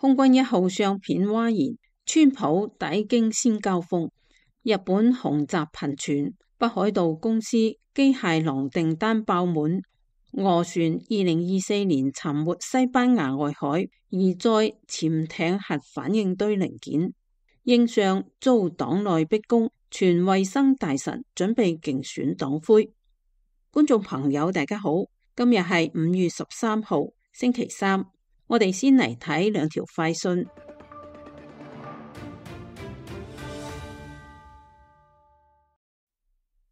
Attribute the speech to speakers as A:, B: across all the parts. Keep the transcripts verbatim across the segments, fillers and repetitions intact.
A: 空軍一號相片嘩然，川普抵京先交鋒。日本空襲頻傳，北海道公司機械狼訂單爆滿。俄船二零二四年沉沒西班牙外海，移載潛艇核反應堆零件。英相遭黨內逼宮，全衛生大臣準備競選黨魁。觀眾朋友大家好，今日係五月十三號星期三，我哋先嚟睇兩條快訊。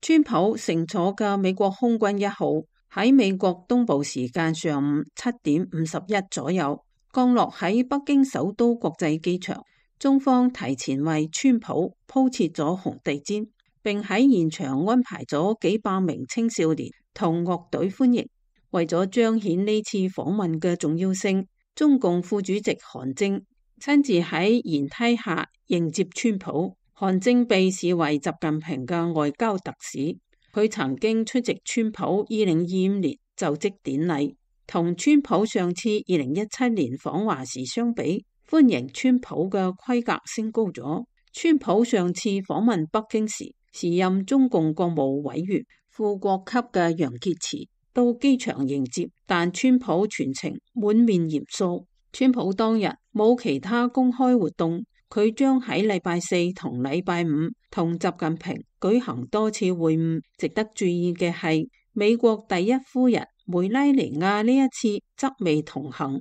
A: 川普乘坐嘅美國空軍一號喺美國東部時間上午七點五十一左右降落喺北京首都國際機場。中方提前為川普鋪設咗紅地毯，並喺現場安排咗幾百名青少年同樂隊歡迎。為咗彰顯呢次訪問嘅重要性，中共副主席韓正親自喺舷梯下迎接川普。韓正被視為習近平嘅外交特使，佢曾經出席川普二零二五年就職典禮，同川普上次二零一七年訪華時相比，歡迎川普嘅規格升高咗。川普上次訪問北京時，時任中共國務委員、副國級嘅楊潔篪到機場迎接，但川普全程滿面嚴肅。川普當日冇其他公開活動，佢將喺禮拜四同禮拜五同習近平舉行多次會晤。值得注意嘅係，美國第一夫人梅拉尼亞呢一次則未同行。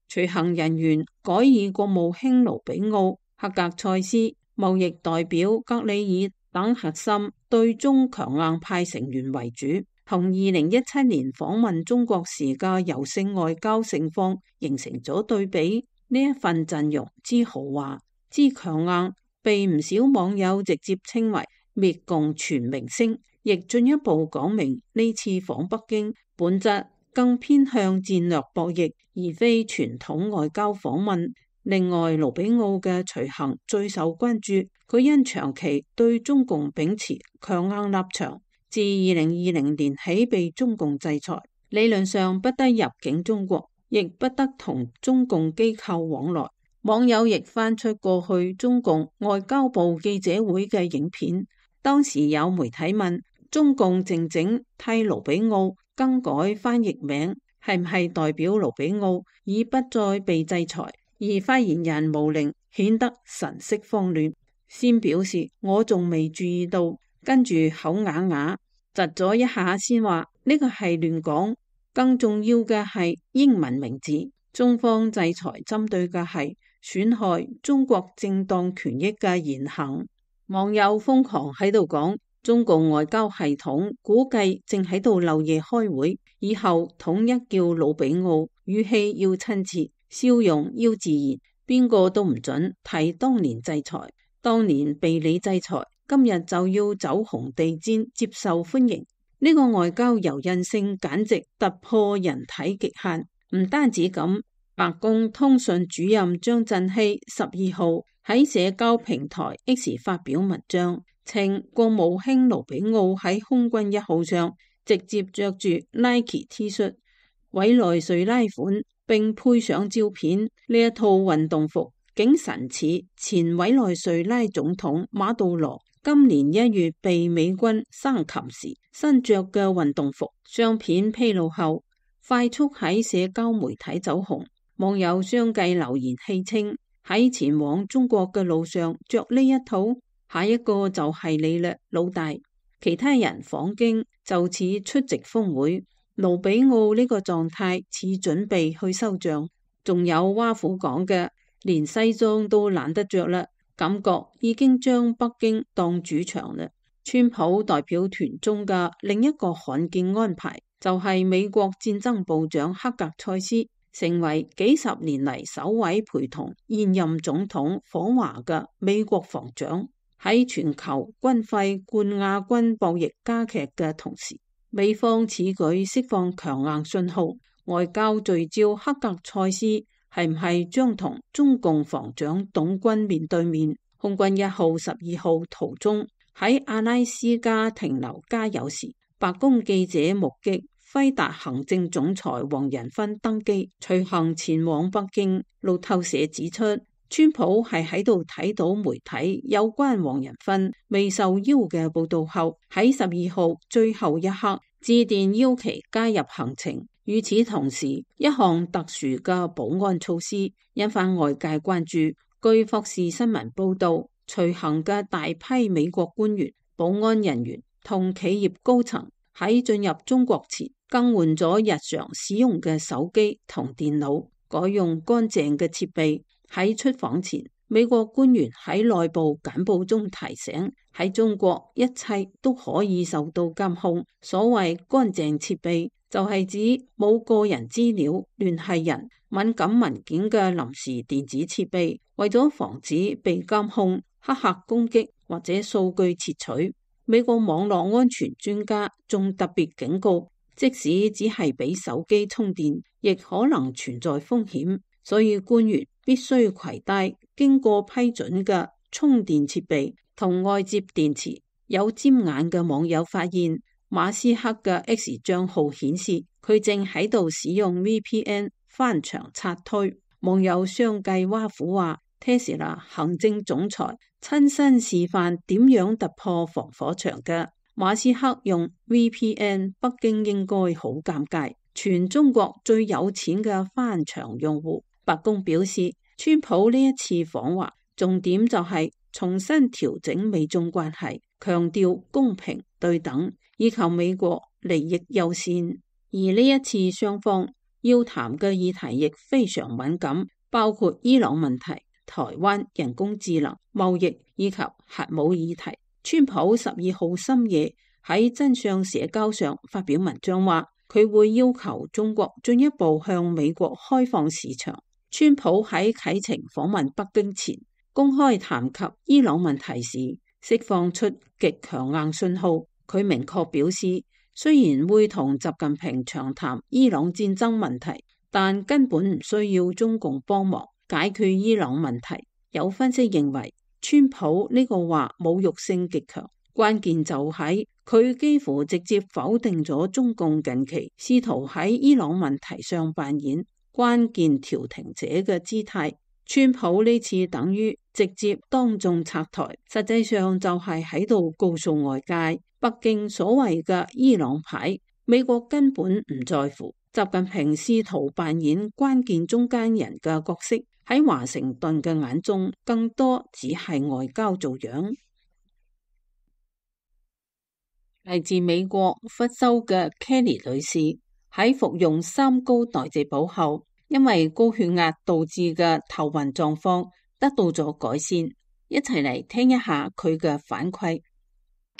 A: 隨行人員改以國務卿盧比奧、克格塞斯、貿易代表格里爾等核心對中強硬派成員為主，同二零一七年訪問中國時嘅柔性外交盛況形成咗對比。呢一份陣容之豪華之強硬，被唔少網友直接稱為滅共全明星，亦進一步講明呢次訪北京本質更偏向戰略博弈，而非傳統外交訪問。另外，盧比奧嘅隨行最受關注，佢因長期對中共秉持強硬立場，自二零二零年起被中共制裁，理論上不得入境中國，亦不得同中共機構往來。網友亦翻出過去中共外交部記者會嘅影片，當時有媒體問中共靜靜替盧比奧更改翻譯名，係唔係代表盧比奧已不再被制裁？而發言人毛寧顯得神色慌亂，先表示我仲未注意到，跟住口啞啞窒咗一下先話呢個係亂講。更重要嘅係英文名字，中方制裁針對嘅係損害中國正當權益嘅言行。網友瘋狂喺度講，中共外交系統估計正喺度漏夜開會，以後統一叫盧比奧，語氣要親切，笑容要自然，邊個都唔准提當年制裁，當年被你制裁，今日就要走紅地毯接受歡迎。呢個外交柔韌性簡直突破人體極限。唔單止咁，白宮通訊主任張振熙十二號喺社交平台 X 發表文章，稱國務卿盧比奧喺空軍一號上直接着住 Nike T 恤、委內瑞拉款，並配上照片。呢一套運動服竟神似前委內瑞拉總統馬杜羅今年一月被美軍生擒時身着嘅運動服。相片披露後快速喺社交媒體走紅，網友相繼留言戲稱喺前往中國嘅路上着呢一套，下一個就係你啦，老大。其他人訪京就似出席峰會，盧比奧呢個狀態似準備去收帳。仲有挖苦講嘅，連西裝都懶得着啦，感覺已經將北京當主場啦。川普代表團中嘅另一個罕見安排，就係、是、美國戰爭部長克格塞斯成為幾十年嚟首位陪同現任總統訪華嘅美國防長。喺全球軍費冠亞軍博弈加劇嘅同時，美方此舉釋放強硬信號，外交聚焦克格塞斯係唔係將同中共防長董軍面對面。空軍一號十二號途中喺阿拉斯加停留加油時，白宮記者目擊輝達行政總裁黃仁勳登基，隨行前往北京。路透社指出，川普係喺度睇到媒體有關黃仁勳未受邀嘅報道後，喺十二號最後一刻致電邀其加入行程。與此同時，一項特殊嘅保安措施引發外界關注。據霍士新聞報道，隨行嘅大批美國官員、保安人員同企業高層喺進入中國前更換咗日常使用嘅手機同電腦，改用乾淨嘅設備。喺出訪前，美國官員喺內部簡報中提醒，喺中國一切都可以受到監控。所謂乾淨設備就係指冇個人資料、聯繫人、敏感文件嘅臨時電子設備，為咗防止被監控、黑客攻擊或者數據竊取。美國網絡安全專家仲特別警告，即使只係俾手機充電，亦可能存在風險，所以官員必須攜帶經過批准嘅充電設備同外接電池。有尖眼嘅網友發現，馬斯克嘅 X 賬號顯示佢正喺度使用 V P N 翻牆刷推。網友相繼挖苦話，Tesla 行政總裁親身示範點樣突破防火牆嘅。馬斯克用 V P N， 北京應該好尷尬。全中國最有錢嘅翻牆用戶。白宮表示，川普呢一次訪華重點就係重新調整美中關係，強調公平對等，以求美國利益優先。而呢一次雙方要談嘅議題亦非常敏感，包括伊朗問題、台灣、人工智能、貿易以及核武議題。川普十二號深夜喺真相社交上發表文章話，佢會要求中國進一步向美國開放市場。川普喺啟程訪問北京前，公開談及伊朗問題時，釋放出極強硬信號。佢明確表示，雖然會同習近平長談伊朗戰爭問題，但根本唔需要中共幫忙解決伊朗問題。有分析認為，川普呢個話侮辱性極強，關鍵就喺佢幾乎直接否定咗中共近期試圖喺伊朗問題上扮演關鍵調停者嘅姿態。川普呢次等於直接當眾拆台，實際上就係喺度告訴外界，北京所謂嘅伊朗牌，美國根本唔在乎。習近平試圖扮演關鍵中間人嘅角色，喺華盛頓嘅眼中，更多只係外交做樣。嚟自美國佛州嘅 Kelly 女士喺服用三高代謝補後，因為高血壓導致嘅頭暈狀況得到咗改善。一齊嚟聽一下佢嘅反饋。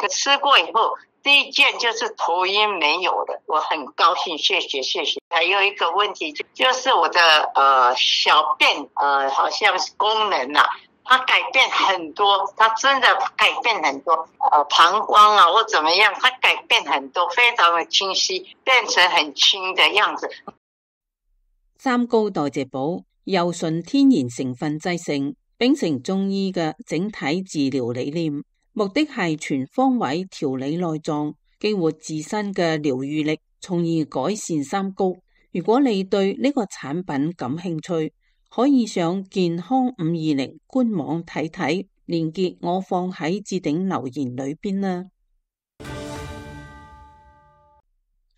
B: 吃過以後，第一件就是頭暈沒有了，我很高興，謝謝謝謝。還有一個問題就就是我的呃小便呃好像是功能啊，它改變很多，它真的改變很多，呃膀胱啊或怎麼樣，它改變很多，非常的清晰，變成很輕的樣子。
A: 三高代謝補由純天然成分製成，秉承中醫嘅整體治療理念，目的係全方位調理內臟，激活自身嘅療癒力，從而改善三高。如果你對呢個產品感興趣，可以上健康五二零官網睇睇，連結我放喺置頂留言裏邊啦。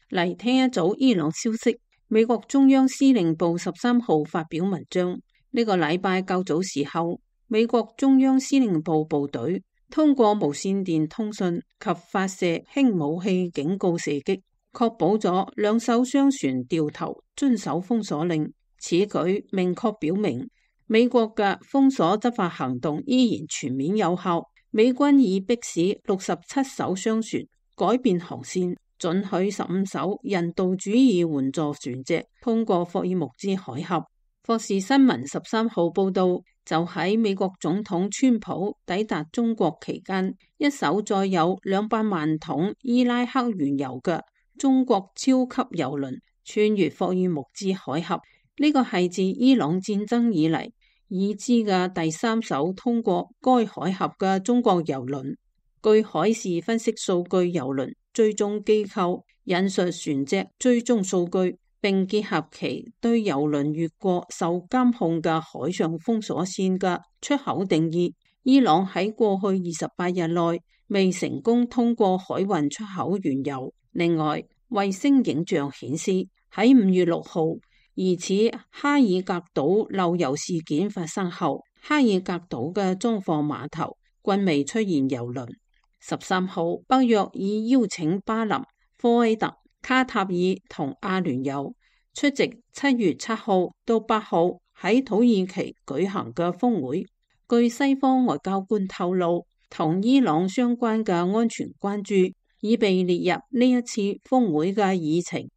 A: 嚟聽一組伊朗消息。美國中央司令部十三號發表文章，呢個禮拜較早時候，美國中央司令部部隊通過無線電通訊及發射輕武器警告射擊，確保咗兩艘商船掉頭遵守封鎖令。此舉明確表明，美國嘅封鎖執法行動依然全面有效。美軍已迫使六十七艘商船改變航線，准許十五艘人道主義援助船隻通過霍爾木茲海峽。霍士新聞十三號報道，就喺美國總統川普抵達中國期間，一艘載有兩百萬桶伊拉克原油嘅中國超級油輪穿越霍爾木茲海峽。呢個係自伊朗戰爭以嚟已知嘅第三艘通過該海峽嘅中國油輪。據海事分析數據，油輪追蹤機構引述船隻追蹤數據，並結合其對郵輪越過受監控嘅海上封鎖線嘅出口定義，伊朗喺過去二十八日內未成功通過海運出口原油。另外，衛星影像顯示喺五月六號疑似哈爾格島漏油事件發生後，哈爾格島嘅裝貨碼頭均未出現郵輪。十三號，北約已邀請巴林、科威特、卡塔爾同阿聯酋出席七月七號到八號喺土耳其舉行嘅峰會。據西方外交官透露，同伊朗相關嘅安全關注已被列入呢一次峰會嘅議程。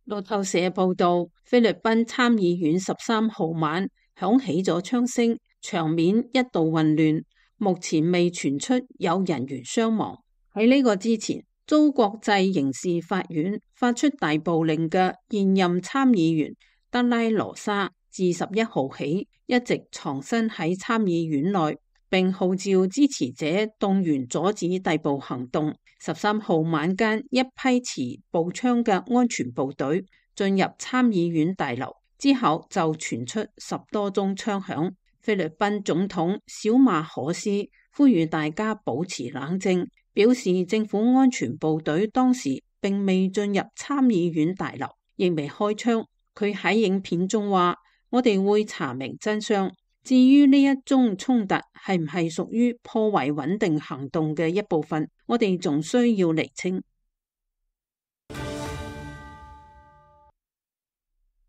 A: 路透社報道，菲律賓參議院十三號晚響起咗槍聲，場面一度混亂，目前未傳出有人員傷亡。喺呢個之前，遭國際刑事法院發出逮捕令嘅現任參議員德拉羅莎自十一號起一直藏身喺參議院內，並號召支持者動員阻止逮捕行動。十三號晚間，一批持步槍嘅安全部隊進入參議院大樓之後，就傳出十多宗槍響。菲律賓總統小馬可斯呼籲大家保持冷靜，表示政府安全部隊當時並未進入參議院大樓，亦未開槍。佢喺影片中話：我哋會查明真相。至於呢一宗衝突係唔係屬於破壞穩定行動嘅一部分，我哋仲需要釐清。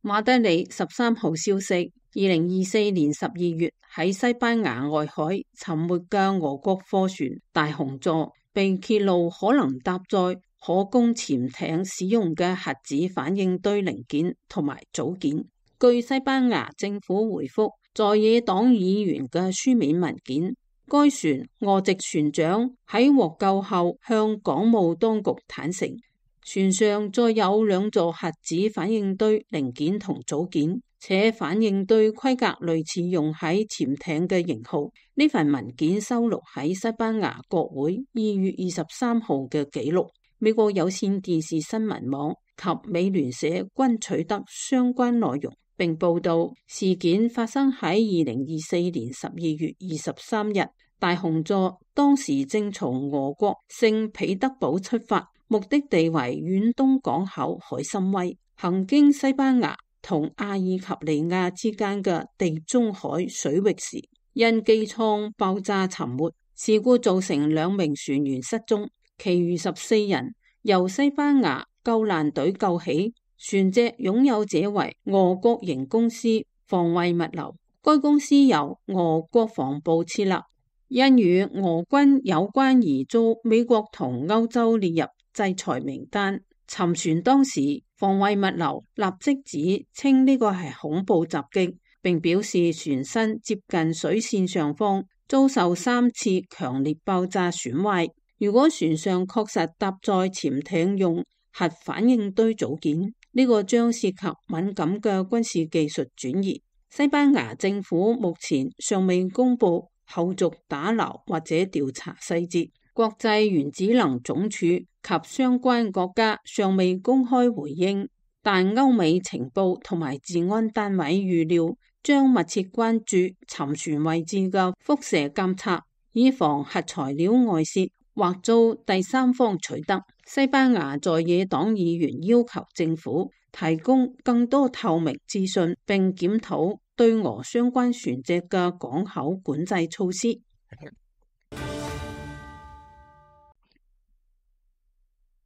A: 馬德里十三號消息，二零二四年十二月喺西班牙外海沉沒嘅俄國貨船大熊座被揭露可能搭載可供潛艇使用嘅核子反應堆零件同埋組件。據西班牙政府回覆在野黨議員嘅書面文件，該船俄籍船長喺獲救後向港務當局坦承，船上載有兩座核子反應堆零件同組件，且反應堆規格類似用喺潛艇嘅型號。呢份文件收錄喺西班牙國會二月二十三號嘅記錄。美國有線電視新聞網及美聯社均取得相關內容，並報道事件發生喺二零二四年十二月二十三日。大熊座當時正從俄國聖彼得堡出發，目的地為遠東港口海參崴，行經西班牙同阿爾及利亞之間嘅地中海水域時，因機艙爆炸沉沒。事故造成兩名船員失蹤，其餘十四人由西班牙救難隊救起。船隻擁有者為俄國營公司防衛物流，該公司由俄國防部設立，因與俄軍有關而遭美國同歐洲列入制裁名單。沉船當時，防衛物流立即指稱呢個係恐怖襲擊，並表示船身接近水線上方，遭受三次強烈爆炸損壞。如果船上確實搭載潛艇用核反應堆組件，呢個將涉及敏感嘅軍事技術轉移。西班牙政府目前尚未公布後續打撈或者調查細節。國際原子能總署及相關國家尚未公開回應，但歐美情報同埋治安單位預料將密切關注沉船位置嘅輻射監測，以防核材料外泄或遭第三方取得。西班牙在野黨議員要求政府提供更多透明資訊，並檢討對俄相關船隻嘅港口管制措施。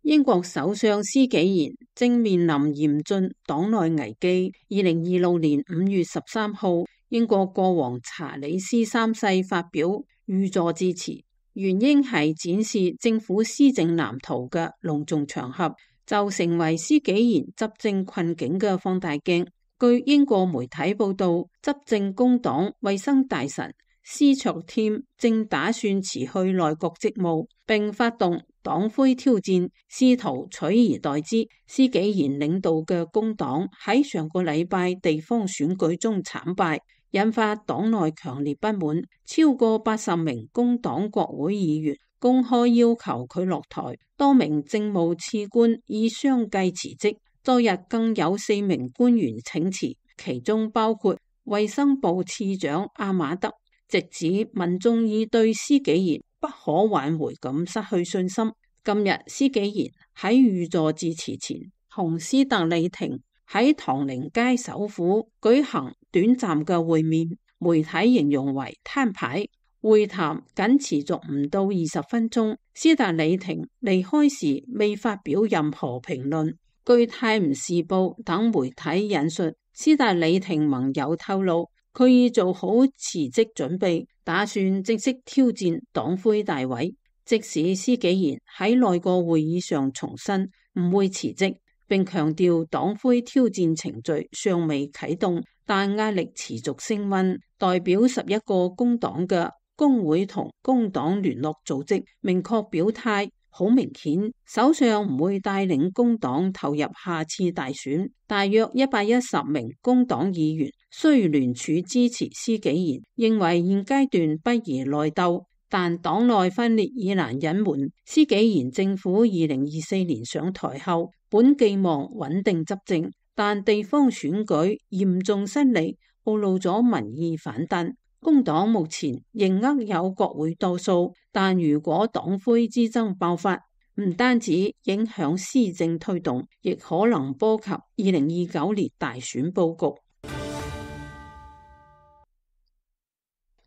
A: 英國首相施紀賢正面臨嚴峻黨內危機。二零二六年五月十三號，英國國王查理斯三世發表御座致辭，原應係展示政府施政藍圖嘅隆重場合，就成為施紀賢執政困境嘅放大鏡。據英國媒體報道，執政工黨衛生大臣斯卓添正打算辭去內閣職務，並發動黨魁挑戰，試圖取而代之。施紀賢領導嘅工黨喺上個禮拜地方選舉中慘敗，引發黨內強烈不滿。超過八十名工黨國會議員公開要求佢落台，多名政務次官已相繼辭職。昨日更有四名官員請辭，其中包括衛生部次長阿馬德，直指民眾已對施紀賢不可挽回咁失去信心。今日施紀賢喺御座致辭前，同斯特里廷喺唐寧街首府舉行短暫嘅會面，媒體形容為攤牌。會談僅持續唔到二十分鐘，斯特里廷離開時未發表任何評論。據泰晤士報等媒體引述斯特里廷盟友透露，佢已做好辭職準備，打算正式挑戰黨魁大位。即使施紀賢喺內閣會議上重申唔會辭職，並強調黨魁挑戰程序尚未啟動，但壓力持續升溫。代表十一個工黨嘅工會同工黨聯絡組織明確表態，好明顯首相唔會帶領工黨投入下次大選。大約一百一十名工黨議員雖聯署支持施紀賢，認為現階段不宜內鬥，但黨內分裂已難隱瞞。施紀賢政府二零二四年上台後，本寄望穩定執政，但地方選舉嚴重失利，暴露咗民意反彈。工黨目前仍握有國會多數，但如果黨魁之爭爆發，唔單止影響施政推動，亦可能波及二零二九年大選佈局。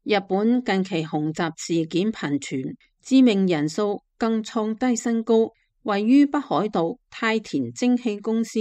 A: 日本近期恐襲事件頻傳，致命人數更創低新高。位於北海道太田蒸氣公司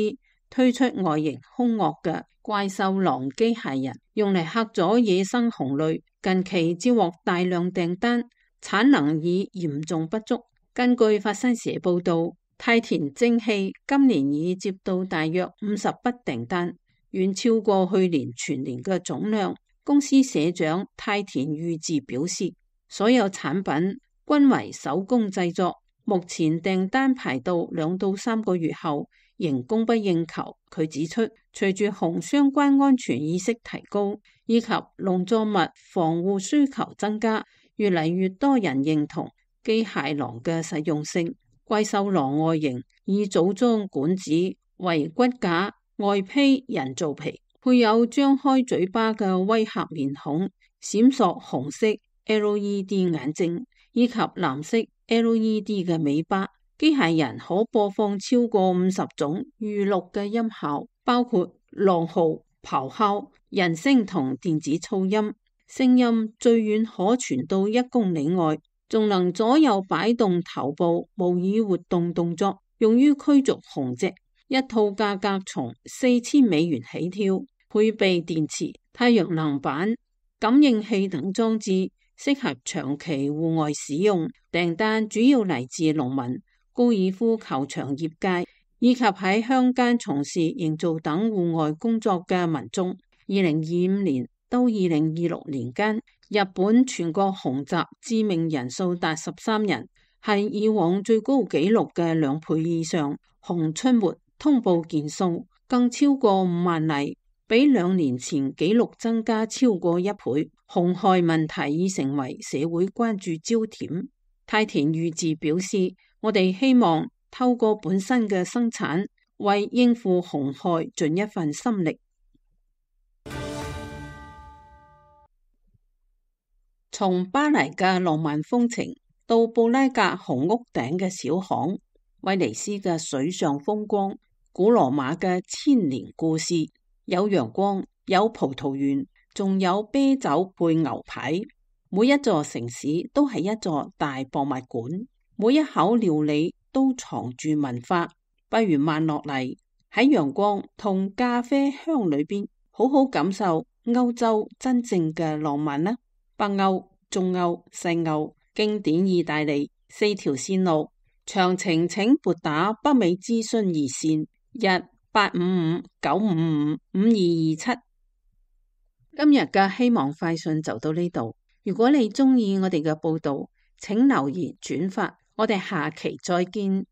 A: 推出外形兇惡嘅怪獸狼機械人，用嚟嚇咗野生熊類，近期接獲大量訂單，產能已嚴重不足。根據法新社報道，太田蒸氣今年已接到大約五十筆訂單，遠超過去年全年嘅總量。公司社長太田裕二表示，所有產品均為手工製作，目前訂單排到兩到三個月後，仍供不應求。佢指出，隨住熊相關安全意識提高，以及農作物防護需求增加，越嚟越多人認同機械狼嘅實用性。怪獸狼外形以組裝管子為骨架，外披人造皮，配有張開嘴巴嘅威嚇面孔，閃爍紅色 L E D 眼睛以及藍色 L E D 嘅尾巴。機械人可播放超過五十種預錄嘅音效，包括狼嚎、咆哮、人聲同電子噪音。聲音最遠可傳到一公里外，仲能左右擺動頭部，模擬活動動作，用於驅逐熊隻。一套價格從四千美元起跳，配備電池、太陽能板、感應器等裝置，適合長期戶外使用。訂單主要嚟自農民、高爾夫球場業界以及喺鄉間從事營造等戶外工作嘅民眾。二零二五年到二零二六年間，日本全國恐襲致命人數達十三人，係以往最高紀錄嘅兩倍以上。熊出沒通報件數更超過五萬例，比兩年前紀錄增加超過一倍。熊害問題已成為社會關注焦點。太田裕二表示，我哋希望透過本身嘅生產，為應付熊害盡一份心力。從巴黎嘅浪漫風情到布拉格紅屋頂嘅小巷，威尼斯嘅水上風光，古羅馬嘅千年故事，有陽光，有葡萄園，仲有啤酒配牛排。每一座城市都係一座大博物館，每一口料理都藏住文化。不如慢落嚟，喺陽光同咖啡香裏邊，好好感受歐洲真正嘅浪漫啦。北歐、中歐、西歐，經典意大利，四條線路，詳情請撥打北美諮詢熱線一八五五九五五五二二七。今日嘅希望快訊就到呢度。如果你鍾意我哋嘅報道，請留言轉發，我哋下期再見。